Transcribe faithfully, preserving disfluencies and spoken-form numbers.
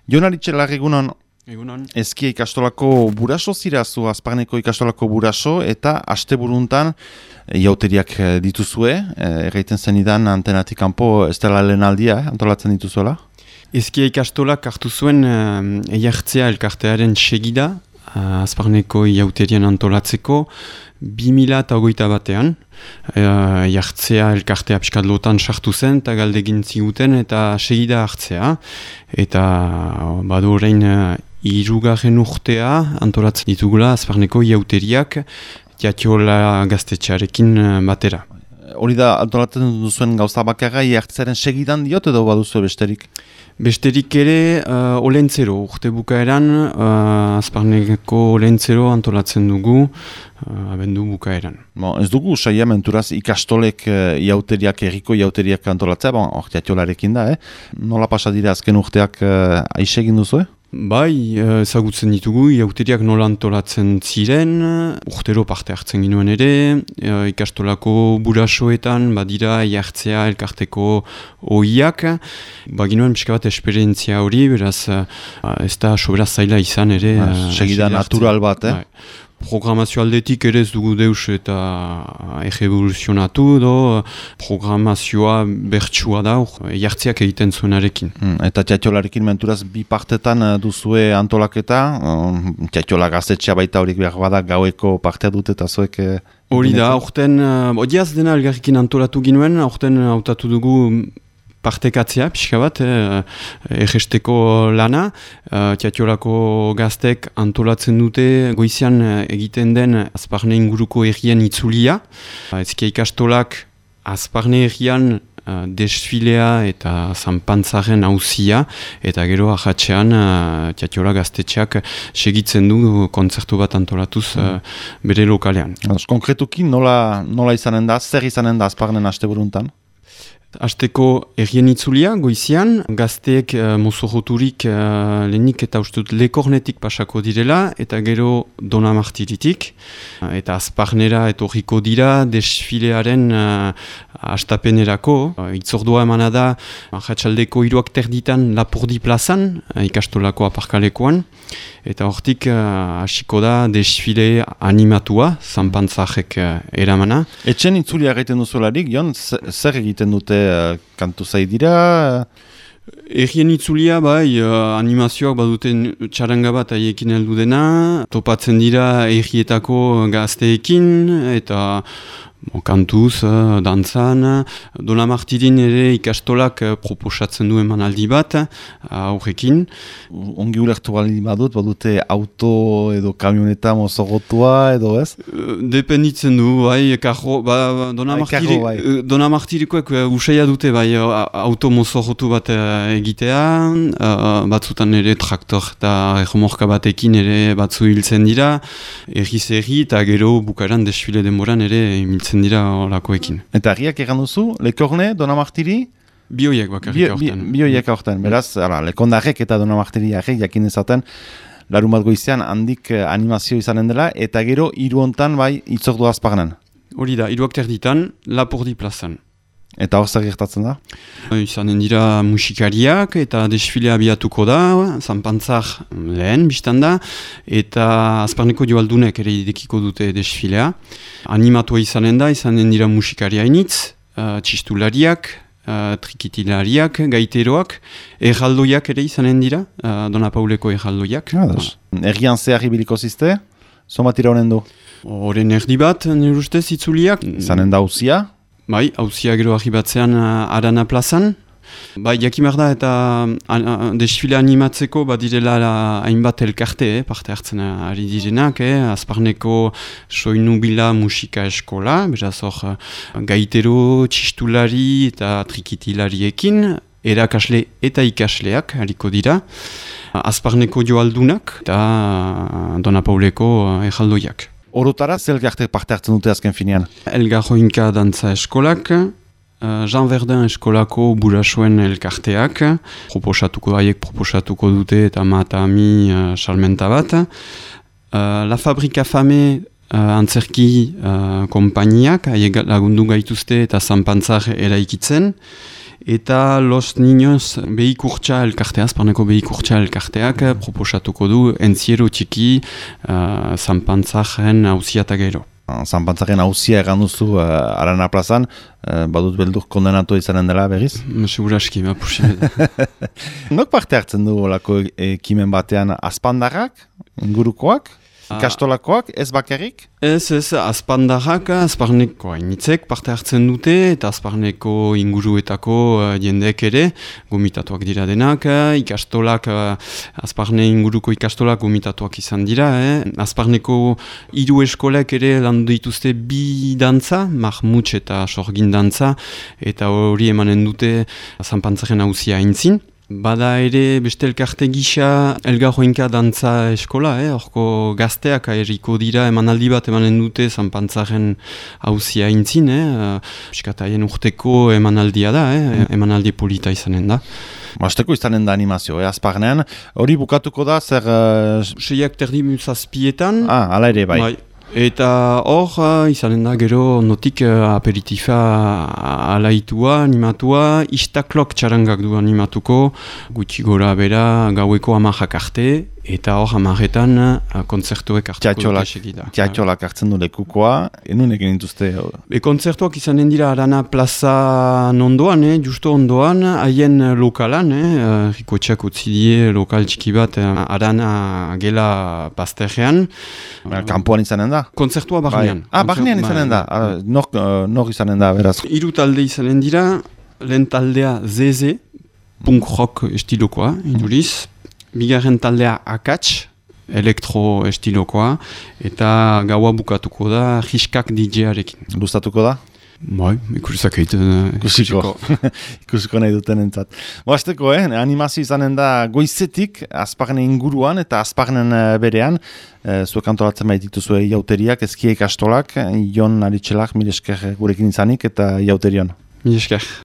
Jon Aritxelar, egunon, Egunon. Ezkia ikastolako buraso zirazu, Azparneko ikastolako buraso, eta asteburuntan jauteriak dituzue, erraiten zenidan antenatik kanpo ez dela lehen aldia, eh, antolatzen dituzuela? Ezkia ikastolak hartu zuen uh, eiartzea elkartearen segida, uh, Azparneko jauterian antolatzeko, bi mila eta hogeita batean, uh, jartzea elkartea pixkatlotan sartu zen, eta galdegin ziguten, eta segida hartzea. Eta badu orain uh, hirugarren urtea antolatzen ditugula Azparneko jauteriak Jatiola gaztetxearekin uh, batera. Hori da antolatzen duzuen gauza bakarra jartzearen segidan diot edo baduzu besterik? Besterik ere, uh, olentzero, urte bukaeran, uh, Azparneko olentzero antolatzen dugu, uh, abendu bukaeran. Bon, ez dugu saia menturaz ikastolek uh, jauteriak, erriko jauteriak antolatzea, bon, hor jatiolarekin da, eh? Nola pasa dira azken urteak uh, aixe egin duzu, eh? Bai, ezagutzen ditugu, jauteriak nola antolatzen ziren, urtero parte hartzen ginuen ere, ikastolako burasoetan, badira jartzea elkarteko ohiak, ba ginuen pixka bat esperientzia hori, beraz ez da sobera zaila izan ere. Segida natural bat, eh? Bai. Programazio aldetik ere ez dugu deus eta egevoluzionatu edo programazioa bertsua da, jartziak egiten zuenarekin. Mm, eta Jatiolarekin menturaz bi partetan duzue antolaketa, um, Jatiola gaztetxea baita horik behar bada gaueko partea dute eta zuek... Hori da, aurten, uh, odiaz dena elgarrikin antolatu ginuen, aurten hautatu dugu partekatzea, pixka bat, eh, egesteko lana, eh, Jatiolako gaztek antolatzen dute goizean egiten den Azparne inguruko errien itzulia. Ezkia ikastolak Azparne errian uh, desfilea eta zanpantzaren hauzia, eta gero ahatxean uh, Jatiola gaztetxeak segitzen du kontzertu bat antolatuz uh, bere lokalean. Konkretuki nola, nola izanen da, zer izanen da Azparnen asteburuntan? Azteko errien itzulia, goizian, gazteek uh, mozoroturik uh, lehenik eta ustut lekornetik pasako direla, eta gero Donamartiritik, uh, eta Azparnera etorriko dira desfilearen uh, astapenerako. Uh, itzordua emana da, Arratsaldeko hiruak terditan Lapurdi plazan, uh, ikastolako aparkalekoan, eta hortik uh, hasiko da desfile animatua, zanpantzarek uh, eramana. Etxen itzulia egiten duzularik, Jon, zer egiten dute uh, kantu zai dira? Errien itzulia, bai, uh, animazioak baduten txaranga bat haiekin heldu dena, topatzen dira errietako gazteekin, eta bon, kantuz, uh, dantzan, Donamartirin ere ikastolak uh, proposatzen du emanaldi bat, aurrekin. Uh, Ongi ulertu bali badut, badute auto edo kamioneta mozogotua edo ez? Uh, dependitzen du, bai, karro, ba, Donamartiri, bai. uh, Donamartirikoek uh, usaia dute, bai, uh, auto mozogotu bat uh, egitea, uh, batzutan ere traktor eta erromorka batekin ere batzu hiltzen dira, erriz erri eta gero bukaeran desfile denboran ere hiltzen dira olakoekin. Eta herriak egan duzu, Lekorne, Donamartiri? Bioiek bakarrik aurten. Bi, bioiek aurten, beraz, ara, Lekondarrek eta Donamartiri arrek jakin ezaten, larun bat goizean handik animazio izanen dela, eta gero hiru hontan bai itzordu Azparnen. Hori da, hiruak terditan, Lapurdi plazan. Eta hor zer gertatzen da? Izanen dira musikariak eta desfilea abiatuko da, zanpantzar lehen biztan da, eta Azparneko joaldunek ere idekiko dute desfilea. Animatua izanen da, izanen dira musikaria initz, uh, txistulariak, uh, trikitilariak, gaiteroak, erraldoiak ere izanen dira, uh, Dona Pauleko erraldoiak. Ah, Errian zehar ibiliko zizte, somatira honen du? Horen erdi bat, nire ustez itzuliak. Izanen da hauzia? Bai, hauzia gero argi batzean uh, Arana plazan. Bai, jakimar da eta uh, desfile animatzeko badirela hainbat elkarte, eh, parte hartzen ari direnak, eh, Azparneko soinubila musika eskola, beraz hor uh, gaitero, txistulari eta trikitilariekin, erakasle eta ikasleak hariko dira, Azparneko joaldunak eta uh, Dona Pauleko uh, erraldoiak. Orotara, zer elkarte parte hartzen dute azken finean? Elgarroinka dantza eskolak, uh, Jean Verdun eskolako burasoen elkarteak, proposatuko haiek proposatuko dute eta mata ami uh, salmenta bat. Uh, La Fabrika Fame uh, antzerki uh, kompainiak, haiek lagundu gaituzte eta zanpantzar eraikitzen. eta Los Niños behikurtsa elkartea, Azparneko behikurtsa elkarteak proposatuko du entziero txiki uh, zanpantzaren hausia gero. Zanpantzaren hauzia egan duzu uh, Arana plazan, uh, badut beldur kondenatu izanen dela berriz? Seguraski, ba, posible. Nok parte hartzen du olako ekimen batean azpandarrak, ingurukoak? Ikastolakoak, ez bakarrik? Ez, ez, azpandarrak, Azparneko hainitzek parte hartzen dute, eta Azparneko inguruetako uh, jendeek ere, gomitatuak dira denak, uh, ikastolak, uh, Azparne inguruko ikastolak gomitatuak izan dira, eh? Azparneko hiru eskolek ere landu dituzte bi dantza, Mahmuts eta Sorgin dantza, eta hori emanen dute zanpantzaren hauzia aintzin. Bada ere beste elkarte gisa Elgarroinka dantza eskola, eh? Horko gazteak eriko dira emanaldi bat emanen dute zanpantzaren hauzia intzin, eh? Piskataien urteko emanaldia da, eh? Emanaldi polita izanen da. Basteko izanen da animazio, eh? Azparnean, hori bukatuko da zer... Uh... Seiak terdi zazpietan. Ah, ala ere bai. bai. Eta hor, uh, izanen da gero notik uh, aperitifa alaitua, animatua, istaklok txarangak du animatuko, gutxi gora bera gaueko amajak arte, eta hor amaretan uh, kontzertuek hartuko dute segida. Teatxolak hartzen du lekukoa, enun egin dituzte? E, kontzertuak izanen dira Arana plaza ondoan, eh, justo ondoan, haien lokalan, eh, rikotxeak utzi die lokal txiki bat uh, Arana gela bazterrean. Kampuan izanen da? Kontzertua barnean. Ah, barnean izanen da. Nor, nor izanen da, beraz. Hiru talde izanen dira, lehen taldea Z Z, punk rock estilokoa, iduriz. Bigarren taldea Akats, elektro estilokoa, eta gaua bukatuko da Hiskak D J-arekin. Luztatuko da? Bai, ikusizak egiten. Ikusiko. Ikusiko nahi duten entzat. Boazteko, eh? Animazio izanen da goizetik, Azparnen inguruan eta Azparnen berean. E, zuek antolatzen baititu zuen iauteriak, ezkiek astolak, Jon Aritxelak, mil esker gurekin izanik eta iauterion. Mil esker.